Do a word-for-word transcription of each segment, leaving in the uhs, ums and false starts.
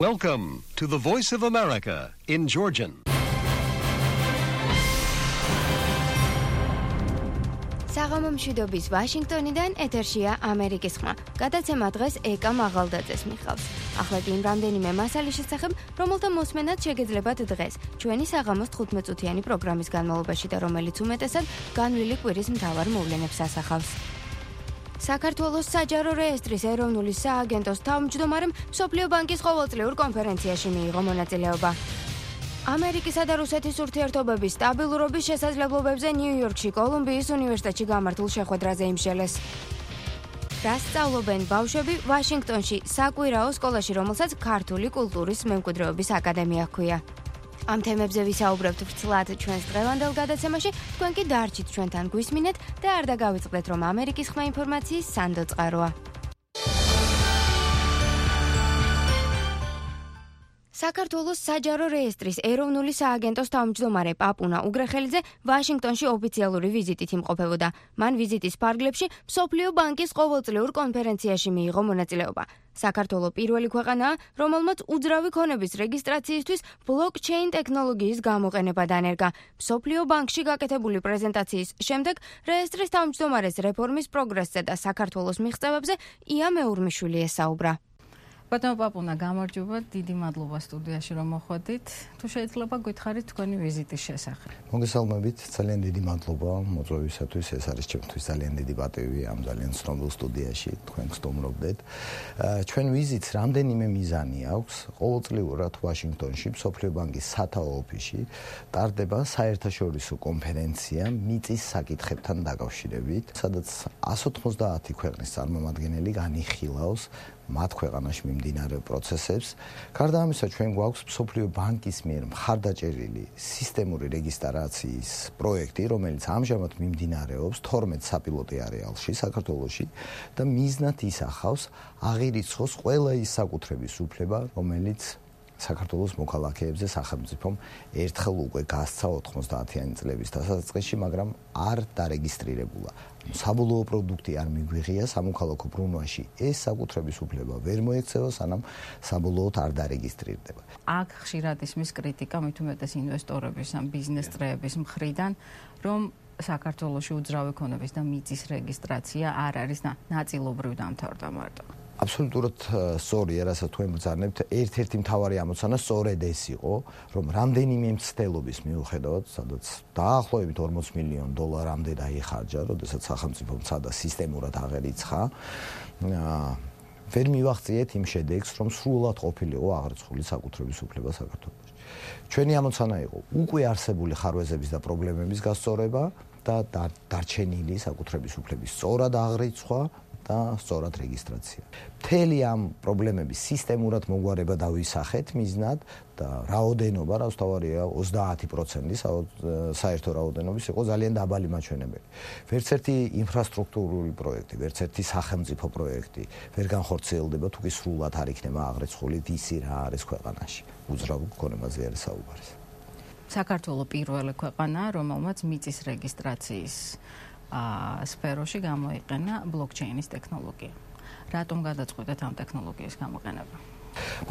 Welcome to the Voice of America in Georgian. საღამომშვიდობის ვაშინგტონიდან ეთერშია ამერიკის ხმა. გადაცემა დღეს ეკა მაღალდაძეს მიხავს. ახლა კი იმ რამდენიმე მასალის შესახებ, რომელთა მოსმენაც შეგეძლებათ დღეს, ჩვენი საღამოს თხუთმეტ-წუთიანი პროგრამის განმავლობაში და რომელიც უმეტესად განვლილი კვირის მთავარ მოვლენებს ასახავს. საქართველოს საჯარო რეესტრის ეროვნული სააგენტოს თავმჯდომარემ მსოფლიო ბანკის ყოველწლიურ კონფერენციაში მიიღო მონაწილეობა. ამერიკისა და რუსეთის ურთიერთობების სტაბილურობის შესაძლებლობებზე ნიუ-იორკში კოლუმბიის უნივერსიტეტში გამართულ შეხვედრაზე იმსჯელეს. რას სწავლობენ ბავშვები ვაშინგტონში საკვირაო სკოლაში, რომელსაც ქართული კულტურის მემკვიდრეობის აკადემია ჰქვია. ამ თემებზე ვისაუბრებთ ვრცლად ჩვენს დღევანდელ გადაცემაში, თქვენ კი დარჩით ჩვენთან გვისმინეთ და არ დაგავიწყდეთ, რომ ამერიკის ხმა ინფორმაციის სანდო წყაროა. საქართველოს საჯარო რეესტრის ეროვნული სააგენტოს თავმჯდომარე პაპუნა უგრეხელიძე ვაშინგტონში ოფიციალური ვიზიტით იმყოფებოდა. მან ვიზიტის ფარგლებში მსოფლიო ბანკის ყოველწლიურ კონფერენციაში მიიღო მონაწილეობა. საქართველო პირველი ქვეყანაა, რომელმაც უძრავი ქონების რეგისტრაციისთვის ბლოკჩეინ ტექნოლოგიის გამოყენება დანერგა. მსოფლიო ბანკში გაკეთებული პრეზენტაციის შემდეგ რეესტრის თავმჯდომარეს რეფორმის პროგრესზე და საქართველოს მიღწევებზე ია მეურმიშვილი ესაუბრა. ბატონო პაპუნა, გამარჯობა, დიდი მადლობა სტუდიაში რომ მოხვედით. თუ შეიძლება გითხარით თქვენი ვიზიტის შესახებ. მოგესალმებით, ძალიან დიდი მადლობა მოწვევისათვის. ეს არის ჩემთვის ძალიან დიდი პატივი ამ ძალიან ცნობილ სტუდიაში თქვენ გსტუმრობდეთ. ჩვენ ვიზიტს რამდენიმე მიზანი აქვს. ყოველწლიურად ვაშინგტონში მსოფლიო ბანკის სათაო ოფისში ტარდება საერთაშორისო კონფერენცია მიწის საკითხებთან დაკავშირებით, სადაც εκατს ოცდაათი ქვეყნის წარმომადგენელი განიხილავს მათ ქვეყანაში მიმდინარე პროცესებს. გარდა ამისა, ჩვენ გვაქვს მსოფლიო ბანკის მიერ მხარდაჭერილი სისტემური რეგისტრაციის პროექტი, რომელიც ამჟამად მიმდინარეობს თორმეტ საპილოტო არეალში საქართველოში და მიზნად ისახავს აღირიცხოს ყველა ის საკუთრების უფლება, რომელიც საქართველოს მოქალაქეებზე სახელმწიფომ ერთხელ უკვე გასცა ოთხმოცდაათიანი წლების დასაწყისში, მაგრამ არ დარეგისტრირებულა. საბოლოო პროდუქტი არ მიგვიღია სამოქალაქო ბრუნვაში. ეს საკუთრების უფლება ვერ მოექცევა, სანამ საბოლოოდ არ დარეგისტრირდება. აქ ხშირად ისმის კრიტიკა მით უმეტეს ინვესტორების ან ბიზნეს წრეების მხრიდან, რომ საქართველოში უძრავი ქონების და მიწის რეგისტრაცია არ არის ნაწილობრივ დამთავრდა მარტო. აბსოლუტურად სწორია, რასაც თქვენ ბრძანებთ. ერთ-ერთი მთავარი ამოცანა სწორედ ეს იყო, რომ რამდენიმე მცდელობის მიუხედავად, სადაც დაახლოებით ორმოც მილიონი დოლარამდე დაიხარჯა, როდესაც სახელმწიფომ ცადა სისტემურად აღერიცხა, ვერ მივაღწიეთ იმ შედეგს, რომ სრულად ყოფილიყო აღრიცხული საკუთრების უფლება საქართველოში. ჩვენი ამოცანა იყო უკვე არსებული ხარვეზების და პრობლემების გასწორება და დარჩენილი საკუთრების უფლების სწორად აღრიცხვა და სწორად რეგისტრაცია. მთელი ამ პრობლემების სისტემურად მოგვარება დავისახეთ მიზნად და რაოდენობა, რაც თავარია ოცდაათი პროცენტი საერთო რაოდენობის იყო ძალიან დაბალი მაჩვენებელი. ვერც ერთი ინფრასტრუქტურული პროექტი, ვერც ერთი სახელმწიფო პროექტი ვერ განხორციელდება, თუ კი სრულად არ იქნება აღრიცხული ისი რა არის ქვეყანაში. უძრავ ქონებაზე არის საუბარი. საქართველო პირველი ქვეყანაა, რომელმაც მიწის რეგისტრაციის სფეროში გამოიყენა ბლოკჩეინის ტექნოლოგია. რატომ გადაწყვეტეთ ამ ტექნოლოგიის გამოყენება?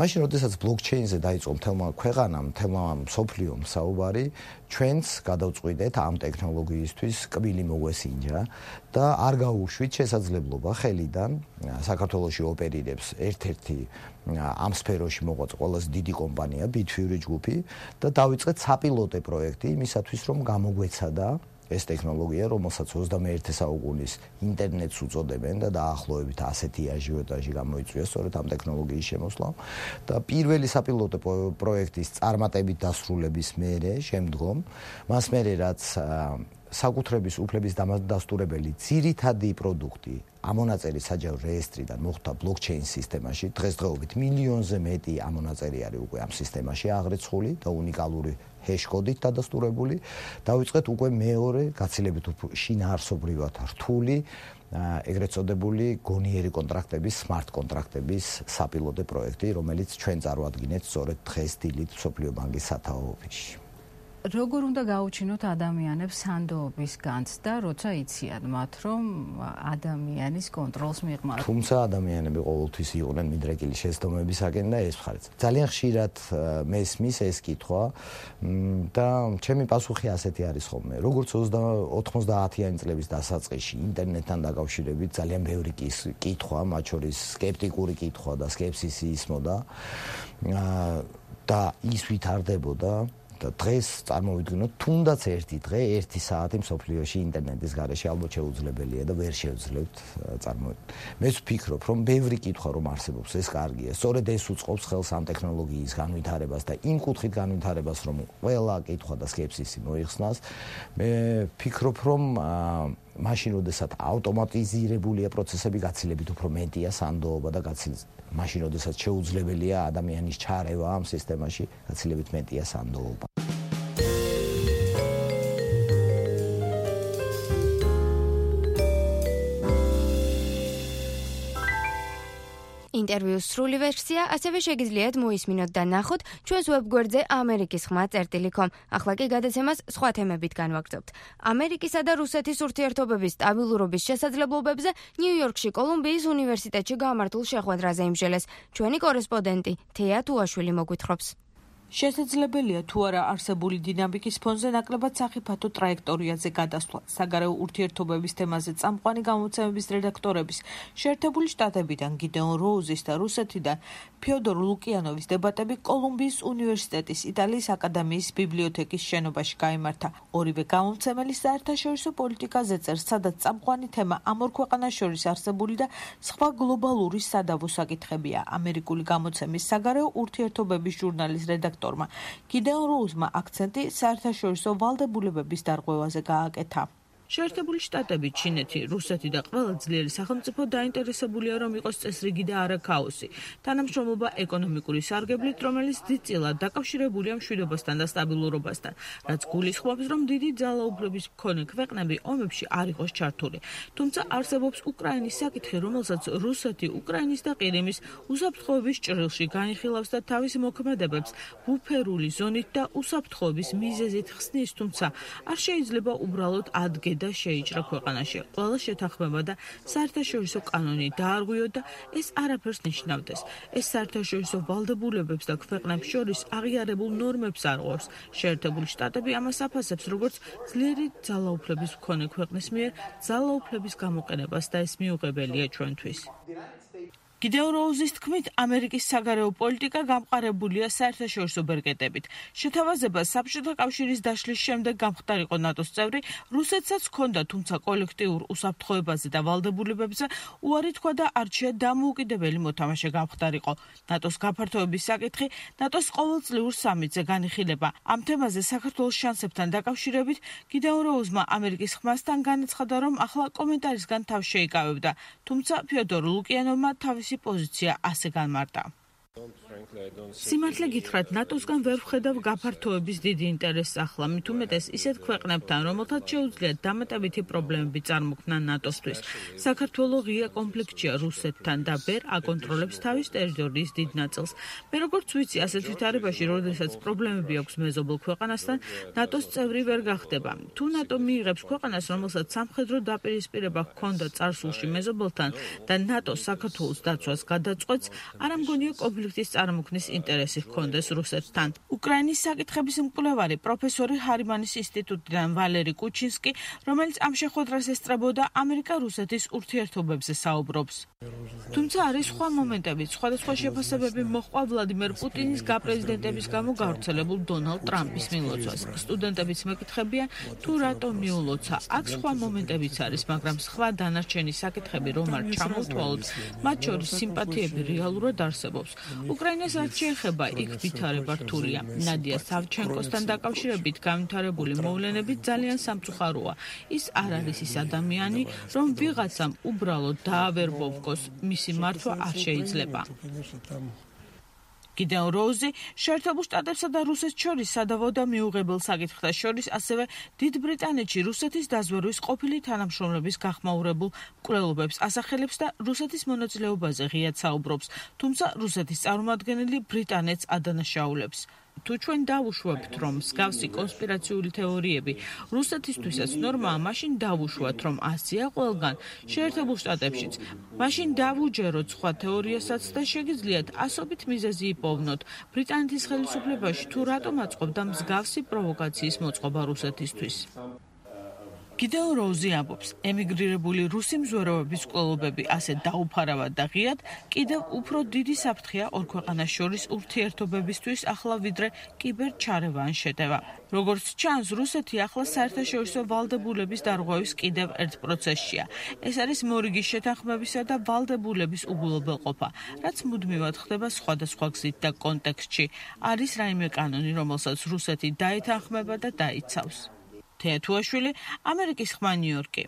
მაშინ, როდესაც ბლოკჩეინზე დაიწყო მთელმა ქვეყანამ, მთელმა მსოფლიომ საუბარი, ჩვენც გადავწყვიტეთ ამ ტექნოლოგიისთვის კბილი მოგვესინჯა და არ გაუშვით შესაძლებლობა ხელიდან საქართველოში ოპერირებს ერთ-ერთი ამ სფეროში მოღვაწე ყველაზე დიდი კომპანია ბითფიური ჯგუფი და დავიწყეთ საპილოტო პროექტი იმისათვის, რომ გამოგვეცადა ეს ტექნოლოგია, რომელსაც ოცდამეერთე საუკუნის ინტერნეტს უწოდებენ და დაახლოებით ასეთი აჟიოტაჟი გამოიწვია სწორედ ამ ტექნოლოგიის შემოსვლამ და პირველი საპილოტო პროექტის წარმატებით დასრულების მერე შემდგომ მას მერე რაც საკუთრების უფლების დამადასტურებელი ძირითადი პროდუქტი ამონაწერი საჯარო რეესტრიდან მოხვდა ბლოკჩეინ სისტემაში. დღესდღეობით მილიონზე მეტი ამონაწერი არის უკვე ამ სისტემაში აღრიცხული და უნიკალური ჰეშ-კოდით დადასტურებული. დავიწყეთ უკვე მეორე გაცილებით შინაარსობრივად რთული ეგრეთ წოდებული გონიერი კონტრაქტების, smart კონტრაქტების საპილოტო პროექტი, რომელიც ჩვენ წარვადგინეთ სწორედ დღეს დილით მსოფლიო ბანკის სათაო ოფისში. როგორ უნდა გაუჩინოთ ადამიანებს სანდოობის განცდა, როცა იციან მათ, რომ ადამიანის კონტროლს მიღმართ. თუმცა ადამიანები ყოველთვის იყვნენ მიდრეკილი შეცდომებისაკენ და ეს მხარეც. ძალიან ხშირად მესმის ეს კითხვა და ჩემი პასუხი ასეთი არის ხოლმე. როგორც ოცდაათიანი წლების დასაწყისში ინტერნეტთან დაკავშირებით ძალიან ბევრი კითხვა, მათ შორის სკეპტიკური კითხვა და სკეპსისი ისმოდა და ის ვითარდებოდა. დღეს წარმოვიდგინოთ, თუნდაც ერთი დღე, ერთი საათი მსოფლიოში ინტერნეტის გარეშე ალბათ შეუძლებელია და ვერ შევძლებთ წარმოვიდგინოთ. მე ვფიქრობ, რომ ბევრი კითხვა რომ არსებობს, ეს კარგია. სწორედ ეს უწყობს ხელს ამ ტექნოლოგიის განვითარებას და იმ კუთხით განვითარებას, რომ ყველა კითხვა და სკეპსისი მოიხსნას. მე ვფიქრობ, რომ მაშინ, როდესაც ავტომატიზირებულია პროცესები, გაცილებით უფრო მეტია სანდოობა და გაცილებით მაშინ, როდესაც შეუძლებელია ადამიანის ჩარევა ამ სისტემაში, გაცილებით მეტია სანდოობა. ინტერვიუს სრული ვერსია ასევე შეგიძლიათ მოისმინოთ და ნახოთ ჩვენს ვებგვერდზე ამერიკის ხმა წერტილი კომ. ახლა კი გადაცემას სხვა თემებით განვაგრძობთ. ამერიკისა და რუსეთის ურთიერთობების სტაბილურობის შესაძლებლობებზე ნიუ-იორკში კოლუმბიის უნივერსიტეტში გამართულ შეხვედრაზე იმჟელეს. ჩვენი კორესპონდენტი თეა თუაშვილი მოგვითხრობს. შესაძლებელია თუ არა არსებული დინამიკის ფონზე ნაკლებად სახიფათო ტრაექტორიაზე გადასვლა. საგარეო ურთიერთობების თემაზე წამყვანი გამოცემების რედაქტორების შეერთებული შტატებიდან გიდეონ როუზის და რუსეთიდან ფიოდორ ლუკიანოვის დებატები კოლუმბიის უნივერსიტეტის იტალიის აკადემიის ბიბლიოთეკის შენობაში გაიმართა. ორივე გამომცემელი საერთაშორისო პოლიტიკაზე წერს, სადაც წამყვანი თემა ამ ორ ქვეყანას შორის არსებული და სხვა გლობალური სადავო საკითხებია. ამერიკული გამოცემის საგარეო ურთიერთობების ჟურნალის რედაქტორი გიდეონ როუზმა აქცენტი საერთაშორისო ვალდებულებების დარღვევაზე გააკეთა. შეერთებული შტატები, ჩინეთი, რუსეთი და ყველა ძლიერი სახელმწიფო დაინტერესებულია, რომ იყოს წესრიგი და არა ქაოსი. თანამშრომლობა ეკონომიკური სარგებლით, რომელიც დიდწილად დაკავშირებულია მშვიდობასთან და სტაბილურობასთან, რაც გულისხმობს, რომ დიდი ძალაუფლების მქონე ქვეყნები ომებში არ იყოს ჩართული. თუმცა არსებობს უკრაინის საკითხი, რომელსაც რუსეთი უკრაინის და ყირიმის უსაფრთხოების ჭრილში განიხილავს და თავის მოქმედებებს ბუფერული ზონით და უსაფრთხოების მიზეზით ხსნის, თუმცა არ შეიძლება უბრალოდ ადგე და შეიჭრა ქვეყანაში. ყველა შეთანხმება და საერთაშორისო კანონი დაარღვიო და ეს არაფერს ნიშნავდეს. ეს საერთაშორისო ვალდებულებებს და ქვეყნებს შორის აღიარებულ ნორმებს არღვევს. შეერთებული შტატები ამას აფასებს, როგორც ძლიერი ძალაუფლების მქონე ქვეყნის მიერ ძალაუფლების გამოყენებას და ეს მიუღებელია ჩვენთვის. გიდეონ როუზის თქმით, ამერიკის საგარეო პოლიტიკა გამყარებულია საერთაშორისო ბერკეტებით. შეთავაზება საბჭოთა კავშირის დაშლის შემდეგ გამხდარიყო ნატოს წევრი, რუსეთსაც ჰქონდა, თუმცა კოლექტიურ უსაფრთხოებაზე და ვალდებულებებზე უარი თქვა და არჩია დამოუკიდებელი მოთამაშე გამხდარიყო. ნატოს გაფართოების საკითხი ნატოს ყოველწლიურ სამიტზე განიხილება. ამ თემაზე საქართველოს შანსებთან დაკავშირებით გიდეონ როუზმა ამერიკის ხმასთან განაცხადა, რომ ახლა კომენტარისგან თავს შეიკავებდა, თუმცა ფიოდორ ლუკიანოვმა თავის პოზიცია ასე განმარტა. სიმართლე გითხრათ, ნატოსგან ვერ ვხედავ გაფართოების დიდი ინტერესს ახლა, მით უმეტეს ისეთ ქვეყნებთან, რომელთაც შეუძლიათ დამატებითი პრობლემები წარმოქმნან ნატოსთვის. საქართველოს ღია კონფლიქტია რუსეთთან და ვერ აკონტროლებს თავის ტერიტორიის დიდ ნაწილს. მე როგორც ვიცი, ასეთ ვითარებაში, როდესაც პრობლემები აქვს მეზობელ ქვეყანასთან, ნატოს წევრი ვერ გახდება. თუ ნატო მიიღებს ქვეყანას, რომელსაც სამხედრო დაპირისპირება ჰქონდა წარსულში მეზობელთან და ნატო საქართველოს დაცვას გადაწყვეტს, არ ამგონია კონფლიქტის წარმოქმნის ინტერესი ჰქონდეს რუსეთთან. უკრაინის საკითხების მკვლევარი პროფესორი ჰარიმანის ინსტიტუტიდან ვალერი კუჩინსკი, რომელიც ამ შეხვედრას ესწრებოდა, ამერიკა-რუსეთის ურთიერთობებზე საუბრობს. თუმცა არის სხვა მომენტებიც, სხვადასხვა შეფასებები მოჰყვა ვლადიმერ პუტინის გაპრეზიდენტების გამო გავრცელებულ დონალდ ტრამპის მილოცვას. სტუდენტებიც მეკითხებიან, თუ რატომ მიულოცა. აქ სხვა მომენტებიც არის, მაგრამ სხვა დანარჩენი საკითხები რომ არ ჩამოვთვალოთ, მათ შორის სიმპათიები რეალურად არსებობს. უკრაინას რაც შეეხება, იქ ვითარება რთულია. ნადია სავჩენკოსთან დაკავშირებით განვითარებული მოვლენები ძალიან სამწუხაროა. ის არ არის ის ადამიანი, რომ ვიღაცამ უბრალოდ დაავერბოვკოს, მისი მართვა არ შეიძლება. გიდეონ როუზი შეერთებულ შტატებსა და რუსეთს შორის სადავო და მიუღებელ საკითხთა შორის ასევე დიდ ბრიტანეთში რუსეთის დაზვერვის ყოფილი თანამშრომლების გახმაურებულ მკვლელობებს ასახელებს და რუსეთის მონაწილეობაზე ღიად საუბრობს, თუმცა რუსეთის წარმომადგენელი ბრიტანეთს ადანაშაულებს. თუ ჩვენ დავუშვებთ, რომ მსგავსი კონსპირაციული თეორიები რუსეთისთვისაც ნორმაა, მაშინ დავუშვათ, რომ ასეა ყველგან, შეერთებულ შტატებშიც. მაშინ დავუჯეროთ სხვა თეორიასაც და შეგიძლიათ ასობით მიზეზი იპოვნოთ ბრიტანეთის ხელისუფლებაში თუ რატომ აწყობდა მსგავსი პროვოკაციის მოწყობა რუსეთისთვის. კიდევ როუზი ამბობს, ემიგრირებული რუსი მზვეროების კვლელობები ასე დაუფარავად და ღიად კიდევ უფრო დიდი საფრთხეა ორ ქვეყანას შორის ურთიერთობებისთვის ახლა ვიდრე კიბერჩარევა ან შეტევა. როგორც ჩანს, რუსეთი ახლა საერთაშორისო ვალდებულების დარღვევის კიდევ ერთ პროცესშია. ეს არის მორიგის შეთანხმებისა და ვალდებულების უგულობელყოფა, რაც მუდმივად ხდება სხვადასხვა გზით და კონტექსტში. არის რაიმე კანონი, რომელსაც რუსეთი დაეთანხმება და დაიცავს. თეათუაშვილი, ამერიკის ხმა, ნიუ-იორკი.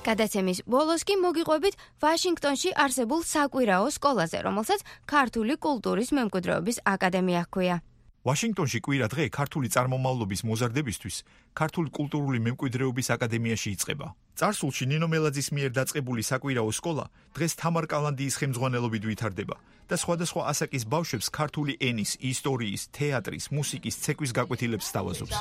გადაცემის ბოლოს კი მოგიყვებით ვაშინგტონში არსებულ საკვირაო სკოლაზე, რომელსაც ქართული კულტურის მემკვიდრეობის აკადემია ჰქვია. ვაშინგტონში კვირა დღე ქართული წარმომავლობის მოზარდებისთვის ქართული კულტურული მემკვიდრეობის აკადემიაში იწყება. წარსულში ნინო მელაძის მიერ დაწყებული საკვირაო სკოლა დღეს თამარ კალანდიის ხელმძღვანელობით ვითარდება და სხვადასხვა ასაკის ბავშვებს ქართული ენის, ისტორიის, თეატრის, მუსიკის, ცეკვის გაკვეთილებს სთავაზობს.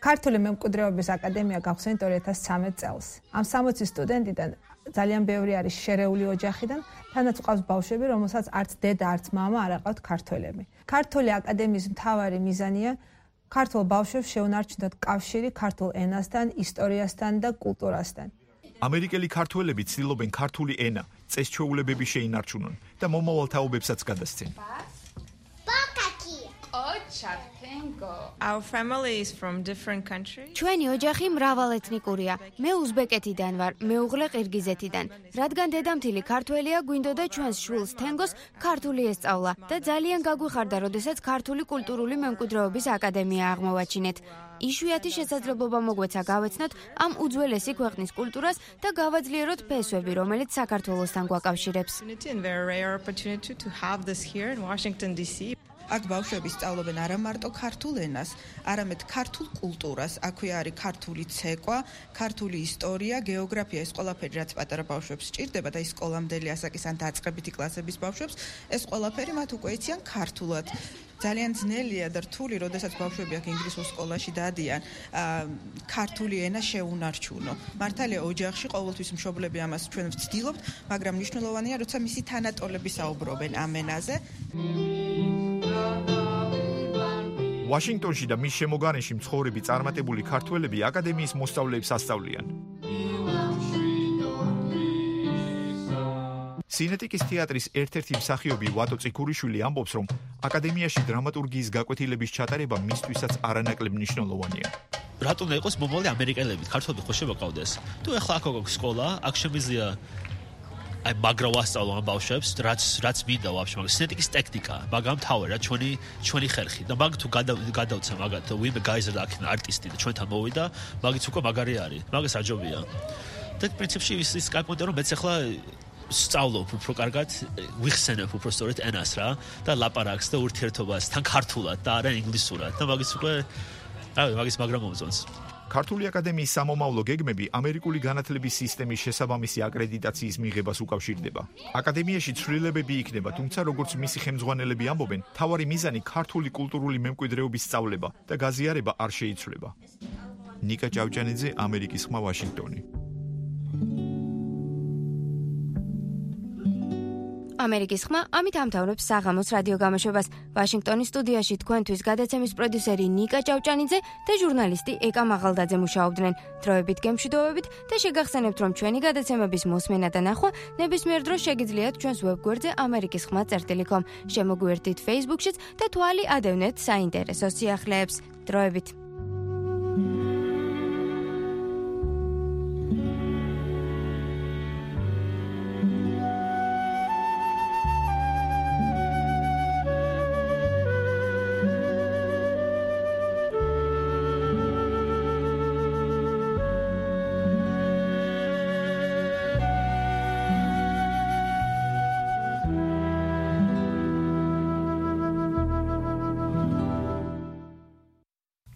ქართული მემკვიდრეობის აკადემია გავხსენით ორი ათას ცხრამეტ წელს. ამ სამოცი სტუდენტიდან ძალიან ბევრი არის შერეული ოჯახიდან, თანაც ყავს ბავშვები, რომელსაც არც დედა, არც მამა არ აყავთ ქართველები. ქართული აკადემიის მთავარი მიზანია ქართულ ბავშვებს შეუნარჩუნოთ კავშირი ქართულ ენასთან, ისტორიასთან და კულტურასთან. ამერიკელი ქართველები ცდილობენ ქართული ენა, წესჩვეულებები შეინარჩუნონ და მომავალ თაობებსაც გადასცენ. Our family is from different countries. ჩვენი ოჯახი მრავალეთნიკურია. მე უზბეკეთიდან ვარ, მეუღლე ყირგიზეთიდან. რადგან დედამთილი ქართველია, გვინდოდა ჩვენს შვილს თენგოს ქართული ესწავლა და ძალიან გაგვიხარდა, როდესაც ქართული კულტურული მემკვიდრეობის აკადემია აღმოვაჩინეთ. იშვიათი შესაძლებლობა მოგვეცა გავეცნოთ ამ უძველესი ქვეყნის კულტურას და გავაძლიეროთ ფესვები, რომელიც საქართველოსთან გვაკავშირებს. აქ ბავშვები სწავლობენ არა მარტო ქართულ ენას, არამედ ქართულ კულტურას. აქვე არის ქართული ცეკვა, ქართული ისტორია, გეოგრაფია, ეს ყველაფერი, რაც პატარა ბავშვებს სჭირდება და ის სკოლამდელი ასაკის ან დაწყებითი კლასების ბავშვებს, ეს ყველაფერი მათ უკვე იციან ქართულად. ძალიან ძნელია და რთული, როდესაც ბავშვები აქ ინგლისურ სკოლაში დადიან, ქართული ენა შეუნარჩუნო. მართალია ოჯახში ყოველთვის მშობლები ამას ჩვენ ვცდილობთ, მაგრამ მნიშვნელოვანია, როცა მისი თანატოლები საუბრობენ ამ ენაზე. ვაშინგტონში და მის შემოგარენში მცხოვრები წარმატებული ქართველები აკადემიის მოსწავლეებს ასწავლიან. სინეტიკის თეატრის ერთ-ერთი მსახიობი ვატო წიქურიშვილი ამბობს, რომ აკადემიაში დრამატურგიის გაკვეთილების ჩატარება მისთვისაც არანაკლებ მნიშვნელოვანია. რატომ და იყოს მომავალი ამერიკელები, ქართველები ხო შემოყავდეს? თუ ეხლა აქ აქვს სკოლა, აქ შემიძლია აი მაგრა ვასწავლო ამ ბავშვებს, რაც რაც მინდა ვაფშე, მაგრამ სინეტიკის ტექნიკა, მაგრამ თავი რა ჩვენი ჩვენი ხერხი და მაგ თუ გადავცა მაგათ ვიმე გაიზარდა აქ არტისტი და ჩვენთან მოვიდა, მაგიც უკვე მაგარი არის. მაგას აჯობია. და პრინციპში ის ის კაპონტე რომ მეც ახლა სწავლობ უფრო კარგად, ვიხსენებ უფრო სწორედ ენას რა და ლაპარაკს და ურთიერთობას თან ქართულად და არა ინგლისურად და მაგის უკვე აი მაგის მაგრამ მომწონს. ქართული აკადემიის სამომავლო გეგმები ამერიკული განათლების სისტემის შესაბამისი აკრედიტაციის მიღებას უკავშირდება. აკადემიაში ცვლილებები იქნება, თუმცა როგორც მისი ხელმძღვანელები ამბობენ, მთავარი მიზანი ქართული კულტურული მემკვიდრეობის სწავლება და გაზიარება არ შეიცვლება. ნიკა ჭავჭანიძე, ამერიკის ხმა, ვაშინგტონი. ამერიკის ხმა ამით ამთავრებს საღამოს რადიო გამოშვებას. ვაშინგტონის სტუდიაში თქვენთვის გადაცემის პროდიუსერი ნიკა ჭავჭანიძე და ჟურნალისტი ეკა მაღალდაძე მუშაობდნენ. დროებით გემშვიდობებით და შეგახსენებთ, რომ ჩვენი გადაცემების მოსმენა და ნახვა ნებისმიერ დროს შეგიძლიათ ჩვენს ვებგვერდზე ამერიკის ხმა წერტილი კომ. შემოგვიერთდით Facebook-შიც და თვალი ადევნეთ საინტერესო სიახლეებს. დროებით.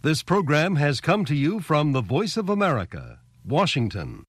This program has come to you from the Voice of America, Washington.